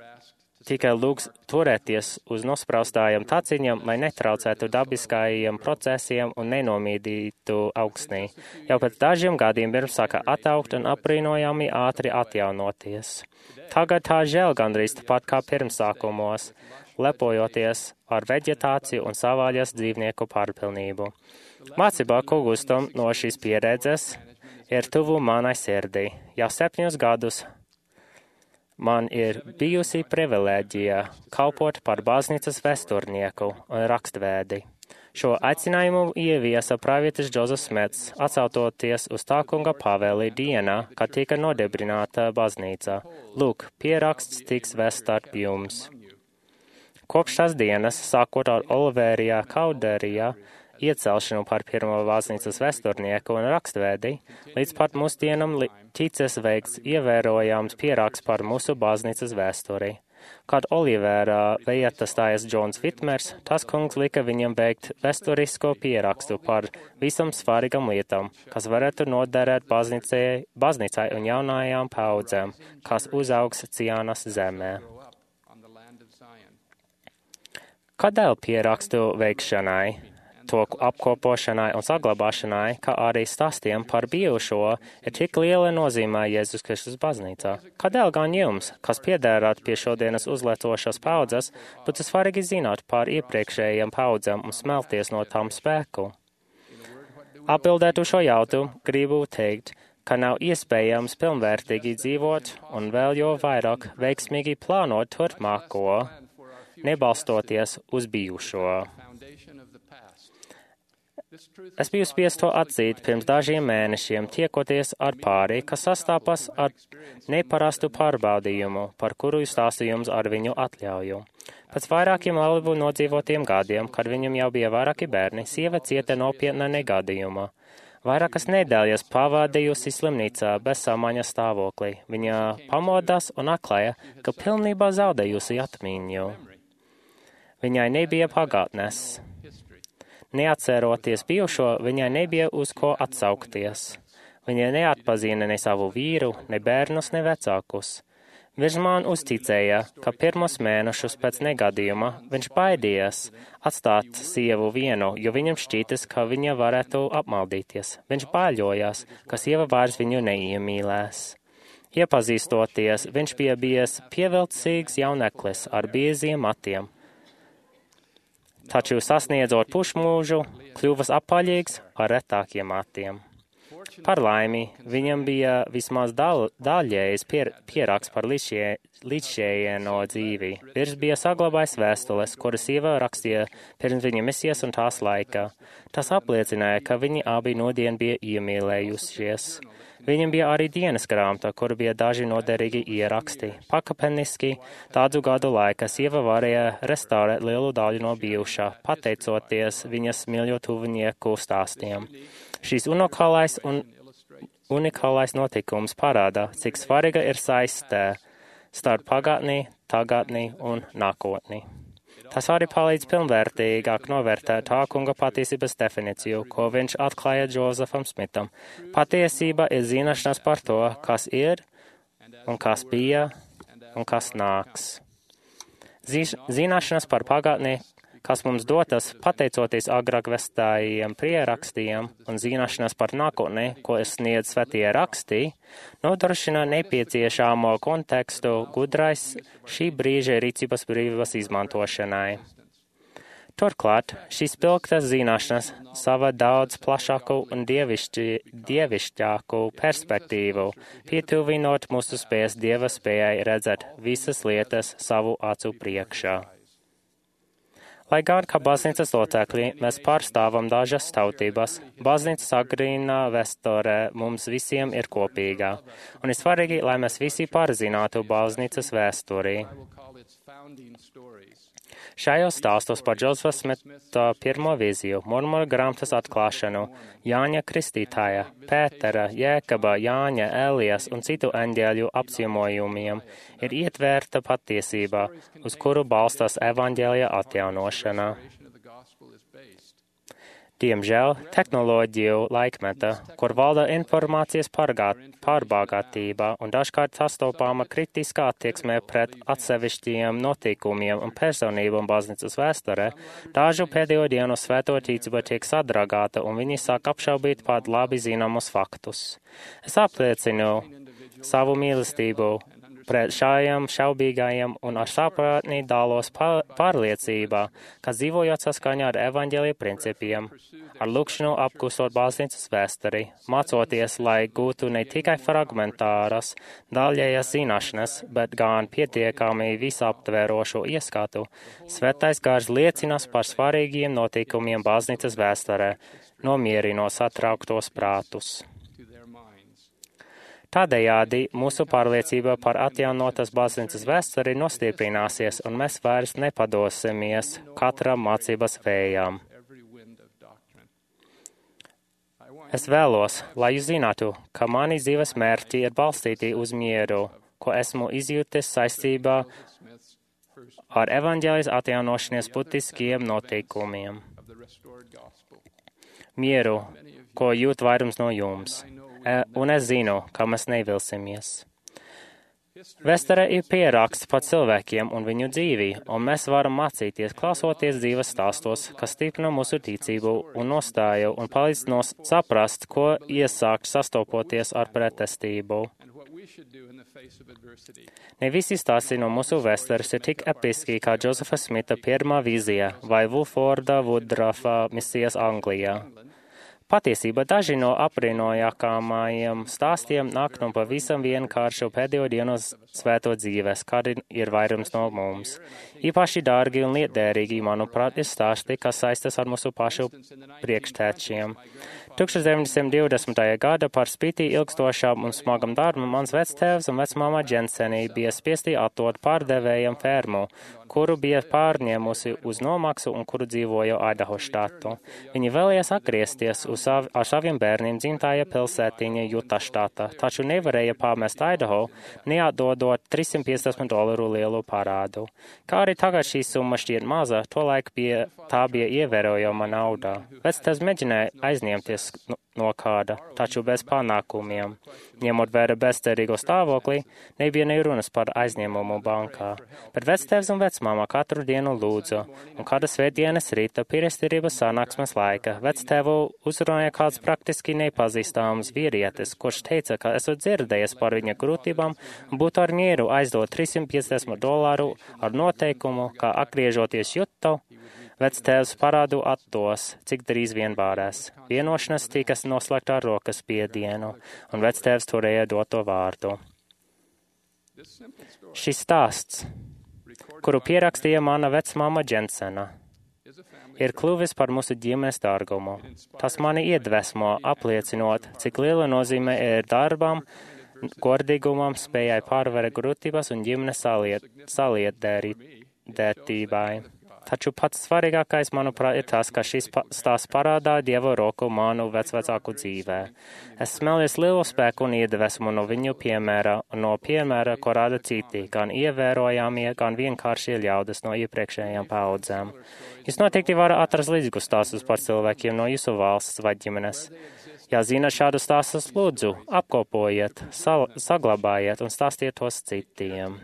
tika lūgts turēties uz nospraustājiem taciņiem, lai netraucētu dabiskajiem procesiem un nenomīdītu augsnī. Jau pēc dažiem gadiem pirms sāka ataugt un apbrīnojami ātri atjaunoties. Tagad tā žēl gandrīz tāpat kā pirmsākumos, lepojoties ar veģetāciju un savvaļas dzīvnieku pārpilnību. Mācībā, ko gūstam no šīs pieredzes, ir tuvu manai sirdī. Jau 7 gadus man ir bijusi privilēģija kalpot par baznīcas vēsturnieku un rakstvēdi. Šo aicinājumu ieviesa pravietis Džozefs Smits, atsautoties uz tā kunga pavēli dienā, kad tika nodibināta baznīca. Lūk, pieraksts tiks vests starp jums. Kopš tās dienas, sākot ar Oliverijā Kauderijā, iecelšanu par pirmo baznīcas vēsturnieku un rakstvēdi, līdz pat mūsdienam ticis veikts ievērojams pieraksts par mūsu baznīcas vēsturi. Kad Olivera vieta stājas Džons Vitmers, tas kungs lika viņam veikt vēsturisko pierakstu par visam svarīgam lietām, kas varētu noderēt baznīcai un jaunajām paudzēm, kas uzaugs Ciānas zemē. Kādēļ pierakstu veikšanai, to apkopošanai un saglabāšanai, kā arī stāstiem par bijušo, ir tik liela nozīmē Jēzus Kristus baznīcā? Kādēļ gan jums, kas piederat pie šodienas uzlietošās paudzes, būtu svarīgi zināt par iepriekšējiem paudzēm un smelties no tām spēku? Atbildēt uz šo jautājumu, gribu teikt, ka nav iespējams pilnvērtīgi dzīvot un vēl jo vairāk veiksmīgi plānot turpmāko, nebalstoties uz bijušo. Es biju spiests to atzīt pirms dažiem mēnešiem, tiekoties ar pāri, kas sastāpas ar neparastu pārbaudījumu, par kuru stāstīju jums ar viņu atļauju. Pēc vairākiem labi nodzīvotiem gadiem, kad viņam jau bija vairāki bērni, sieva cieta nopietna negadījuma. Vairākas nedēļas pavadījusi slimnīcā bez samaņas stāvoklī. Viņa pamodās un atklāja, ka pilnībā zaudējusi atmiņu. Viņai nebija pagātnes. Neatceroties bijušo, viņai nebija uz ko atsaukties. Viņa neatpazina ne savu vīru, ne bērnus, ne vecākus. Viņš man uzticēja, ka pirmos mēnešus pēc negadījuma viņš baidījās atstāt sievu vienu, jo viņam šķītas, ka viņa varētu apmaldīties. Viņš bāļojās, ka sieva vairs viņu neiemīlēs. Iepazīstoties, viņš bija bijis pievilcīgs jauneklis ar bieziem matiem. Taču sasniedzot pušmūžu, kļuvas apaļīgs ar retākiem matiem. Par laimi, viņam bija vismaz daļējs pieraksts par līdzšējieno dzīvi. Vīrs bija saglabājis vēstules, kuras sieva rakstīja pirms viņa misijas un tās laika. Tas apliecināja, ka viņi abi nodien bija iemīlējušies. Viņam bija arī dienas grāmata, kur bija daži noderīgi ieraksti. Pakāpeniski tādu gadu laikā sieva varēja restaurēt lielu daļu no bijušā, pateicoties viņas mīļo tuvinieku stāstiem. Šīs unikālais notikums parāda, cik svarīga ir saistē starp pagātni, tagadni un nākotni. Tas arī palīdz pilnvērtīgāk novērtēt tā kunga patiesības definīciju, ko viņš atklāja Džozefam Smitam. Patiesība ir zināšanas par to, kas ir un kas bija un kas nāks. Zināšanas par pagātni, kas mums dotas pateicoties agrāk vēstājiem pierakstiem un zināšanas par nākotni, ko sniedz svētie rakstī, nodrošina nepieciešamo kontekstu gudrais šī brīža rīcības brīvības izmantošanai. Turklāt, šīs pilgtas zināšanas sava daudz plašāku un dievišķāku perspektīvu, pietuvinot mūsu spējas Dieva spējai redzēt visas lietas savu acu priekšā. Lai gan, kā baznīcas locekļi, mēs pārstāvam dažas tautības, baznīcas agrīnā vēsture mums visiem ir kopīga, un ir svarīgi, lai mēs visi pārzinātu baznīcas vēsturi. Šajos stāstos par Džozefa Smita pirmo vīziju, Mormonu grāmatas atklāšanu, Jāņa Kristītāja, Pētera, Jēkaba, Jāņa, Elijas un citu eņģeļu apciemojumiem ir ietvērta patiesība, uz kuru balstās evaņģēlija atjaunošana. Diemžēl tehnoloģiju laikmeta, kur valda informācijas pārbagātība un dažkārt sastopāma kritiskā attieksme pret atsevišķiem notikumiem un personībām baznīcas vēsturē, dažu pēdējo dienu svēto ticība tiek sadragāta un viņi sāk apšaubīt pat labi zināmus faktus. Es apliecinu savu mīlestību pret šājiem šaubīgajiem un ar saprātni dalos pārliecībā, ka dzīvojot saskaņā ar evaņģēlija principiem, ar lūkšanu apgūstot baznīcas vēsturi, mācoties, lai gūtu ne tikai fragmentāras, daļējas zināšanas, bet gan pietiekami visaptverošo ieskatu, Svētais gars liecinas par svarīgiem notikumiem baznīcas vēsturē, nomierinot satrauktos prātus. Tādējādi mūsu pārliecība par atjaunotas baznīcas vēsturi nostiprināsies, un mēs vairs nepadosimies katram mācības vējām. Es vēlos, lai jūs zinātu, ka mani dzīves mērķi ir balstīti uz mieru, ko esmu izjūtis saistībā ar evaņģēlijas atjaunošanas būtiskiem noteikumiem. Mieru, ko jūt vairums no jums. Un es zinu, ka mēs nevilsimies. Vēsture ir pieraksts par cilvēkiem un viņu dzīvi, un mēs varam mācīties, klausoties dzīves stāstos, kas stiprina mūsu ticību un nostāju un palīdz saprast, ko iesākt sastopoties ar pretestību. Ne visi stāsti no mūsu vēstures ir tik episki kā Džosefa Smita pirmā vīzija vai Wilforda Woodruffa misijas Anglijā. Patiesībā daži no apbrīnojamākajiem stāstiem nāk no pavisam vienkāršu pēdējo dienu svēto dzīves, kādi ir vairums no mums. Īpaši dārgi un lietderīgi, manuprāt, ir stāsti, kas saistas ar mūsu pašu priekštečiem. 1920. gada par spīti ilgstošām un smagam darbam mans vectēvs un vecmāma Dženseni bija spiesti atdot pārdevējam fermu, kuru bija pārņēmusi uz nomaksu un kuru dzīvoja Idaho štātu. Viņi vēlējās atgriezties ar saviem bērniem dzimtajā pilsētiņa Juta štata, taču nevarēja pamest Idaho, neatdodot $350 lielu parādu. Kā arī tagad šī summa šķiet maza, tolaik tā bija ievērojama nauda. Vectēvs mēģināja aizņemties no kāda, taču bez panākumiem. Ņemot vērā bezcerīgo stāvokli, nebija ne runas par aizņēmumu bankā. Bet vectēvs un vecmāma katru dienu lūdza, un kāda svētdienas rīta pirestirības sanāksmes laika vectēvu uzrunāja kāds praktiski nepazīstams vīrietis, kurš teica, ka esot dzirdējies par viņa grūtībām un būtu ar mieru aizdot $350 ar noteikumu, ka atgriežoties Jutu, vectēvs parādu atdos, cik drīz vien varēs. Vienošanās tika noslēgta ar rokas spiedienu, un vectēvs turēja doto vārdu. Šis stāsts, kuru pierakstīja mana vecmāma Džensena, ir kļuvis par mūsu ģimenes dārgumu. Tas mani iedvesmo, apliecinot, cik liela nozīme ir darbam, godīgumam, spējai pārvarēt grūtības un ģimenes saliedētībai. Taču pats svarīgākais, manuprāt, ir tas, ka šis stāsts parādā Dieva roku manu vecvecāku dzīvē. Es smēlies lielu spēku un iedvesmu no viņu piemēra un no piemēra, ko rāda citi, gan ievērojamie, gan vienkāršie ļaudis no iepriekšējām paudzēm. Jūs noteikti varat atrast līdzīgus stāstus par cilvēkiem no jūsu valsts vai ģimenes. Ja zina šādu stāstus, lūdzu, apkopojiet, saglabājiet un stāstiet tos citiem.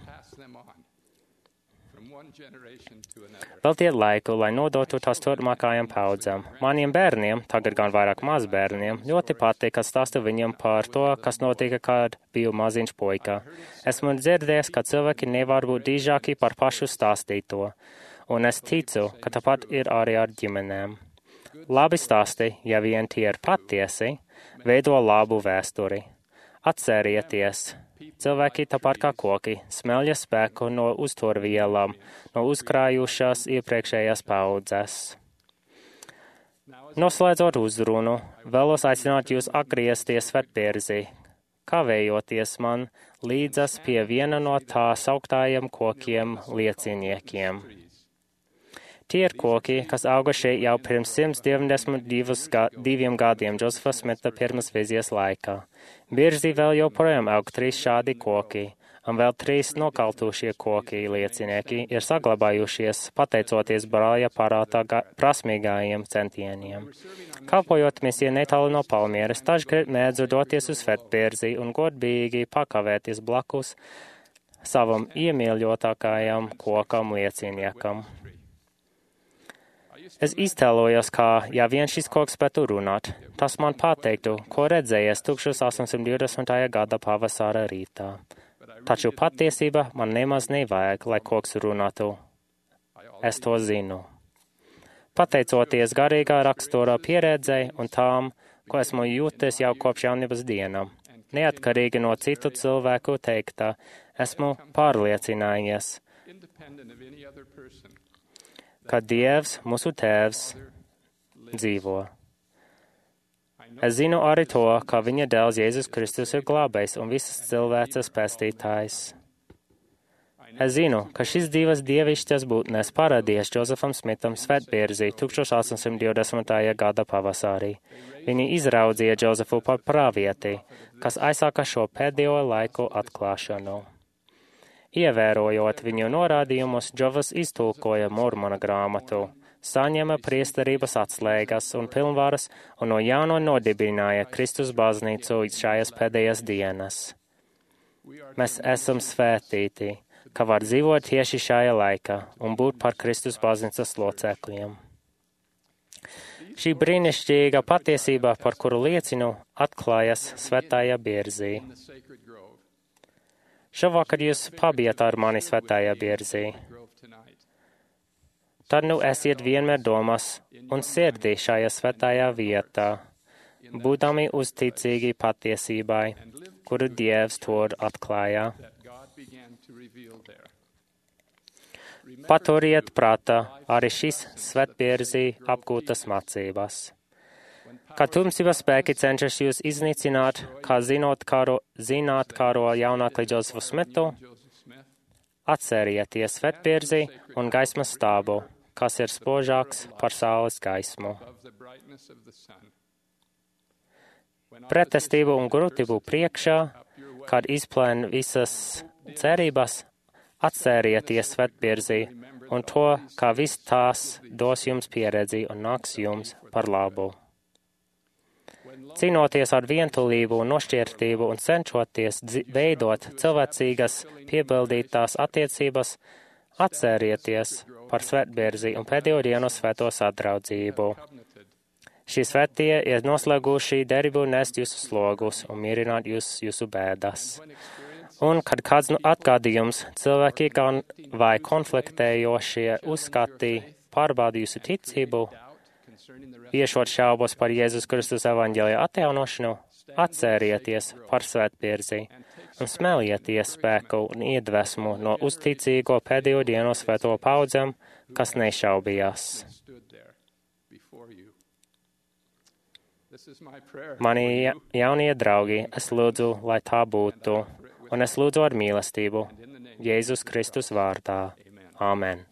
Veltiet laiku, lai nodotu tās turpmākajām paudzēm. Maniem bērniem, tagad gan vairāk mazbērniem, ļoti patīk, ka stāstu viņiem par to, kas notika, kad biju maziņš puika. Esmu dzirdējis, ka cilvēki nevar būt dižāki par pašu stāstīto, un es ticu, ka tāpat ir arī ar ģimenēm. Labi stāsti, ja vien tie ir patiesi, veido labu vēsturi. Atcerieties! Cilvēki tāpat kā koki smelja spēku no uzturvielām, no uzkrājušās iepriekšējās paudzes. Noslēdzot uzrunu, vēlos aicināt jūs atgriezties svētpierzī, kavējoties man līdzas pie viena no tā sauktājiem kokiem lieciniekiem. Tie ir koki, kas auga šeit jau pirms 192 gadiem Džosefa Smita pirmas vīzijas laikā. Biržī vēl joprojām aug 3 šādi koki, un vēl 3 nokaltušie koki liecinieki ir saglabājušies pateicoties brāļa parātā prasmīgajiem centieniem. Kalpojot misijai netālu no Palmieras, dažkārt mēdzu doties uz Svētbirzi un godīgi pakavēties blakus savam iemīļotākajam kokam lieciniekam. Es iztēlojos, kā, ja vien šis koks spētu runāt, tas man pateiktu, ko redzējies 1820. gada pavasara rītā. Taču patiesība man nemaz nevajag, lai koks runātu. Es to zinu. Pateicoties garīgā rakstura pieredzei un tām, ko esmu jūtis jau kopš jaunības dienām, neatkarīgi no citu cilvēku teiktā, esmu pārliecinājies, ka Dievs, mūsu Tēvs, dzīvo. Es zinu arī to, ka viņa dēls Jēzus Kristus ir glābējs un visas cilvēces pestītājs. Es zinu, ka šīs divas dievišķas būtnes parādījās Džozefam Smitam Svētbierzī 1820. gada pavasarī. Viņi izraudzīja Džozefu par pravieti, kas aizsāka šo pēdējo laiku atklāšanu. Ievērojot viņu norādījumus, Džozefs iztulkoja Mormona grāmatu, saņēma priesterības atslēgas un pilnvaras un no jauna nodibināja Kristus baznīcu šajās pēdējās dienas. Mēs esam svētīti, ka var dzīvot tieši šajā laikā un būt par Kristus baznīcas locekļiem. Šī brīnišķīga patiesība, par kuru liecinu, atklājas Svētajā Bierzī. Šovakar jūs pabijat ar mani Svētajā Bierzī. Tad nu esiet vienmēr domās un sirdī šajā svētajā vietā, būdami uzticīgi patiesībai, kuru Dievs tur atklāja. Paturiet prātā arī šīs Svētbierzī apgūtas mācības. Kad tumsības spēki cenšas jūs iznīcināt, kā zināt karo jaunākli Džozefu Smitu, atcerieties Svētbierzī un gaismas stābu, kas ir spožāks par saules gaismu. Pretestību un grūtību priekšā, kad izplēn visas cerības, atcerieties Svētbierzī un to, ka viss tās dos jums pieredzi un nāks jums par labu. Cīnoties ar vientulību un nošķirtību un cenšoties veidot cilvēcīgas piebildītās attiecības, atcerieties par Svētbierzī un pēdējo dienu svēto sadraudzību. Šie svētie ir noslēguši derību nest jūsu slogus un mierināt jūsu bēdas. Un, kad kāds atgādījums, cilvēki gan vai konfliktējošie uzskati pārbauda jūsu ticību, viešot šaubas par Jēzus Kristus evaņģēlija atjaunošanu, atcerieties par Svētbierzī un smelieties spēku un iedvesmu no uzticīgo pēdējo dienu svēto paudzēm, kas nešaubījās. Mani jaunie draugi, es lūdzu, lai tā būtu, un es lūdzu ar mīlestību, Jēzus Kristus vārdā. Āmen.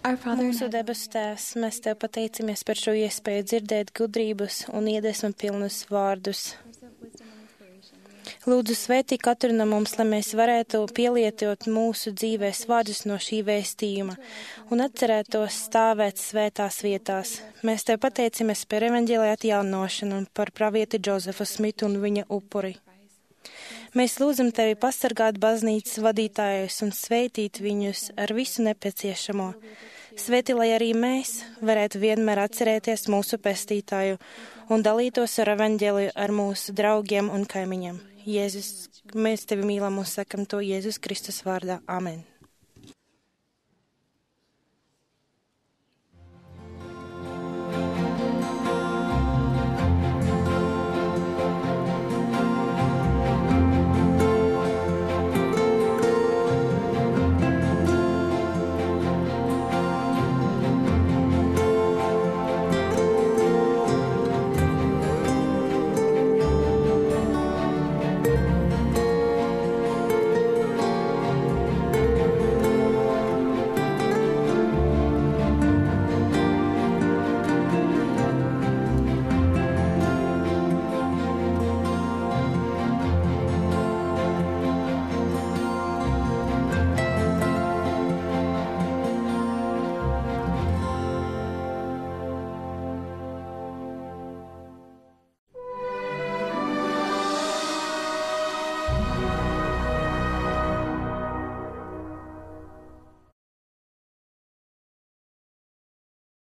Mūsu debesu Tēvs, mēs Tev pateicamies par šo iespēju dzirdēt gudrības un iedvesmu pilnus vārdus. Lūdzu, svētī katru no mums, lai mēs varētu pielietot mūsu dzīvēs vārdus no šī vēstījuma un atcerētos stāvēt svētās vietās. Mēs Tev pateicamies par evaņģēlija atjaunošanu un par pravieti Džozefu Smitu un viņa upuri. Mēs lūdzam Tevi pasargāt baznīcas vadītājus un svētīt viņus ar visu nepieciešamo. Svētī, lai arī mēs varētu vienmēr atcerēties mūsu pestītāju un dalītos ar evaņģēliju ar mūsu draugiem un kaimiņiem. Jēzus, mēs Tevi mīlam un sakam to Jēzus Kristus vārdā. Amen.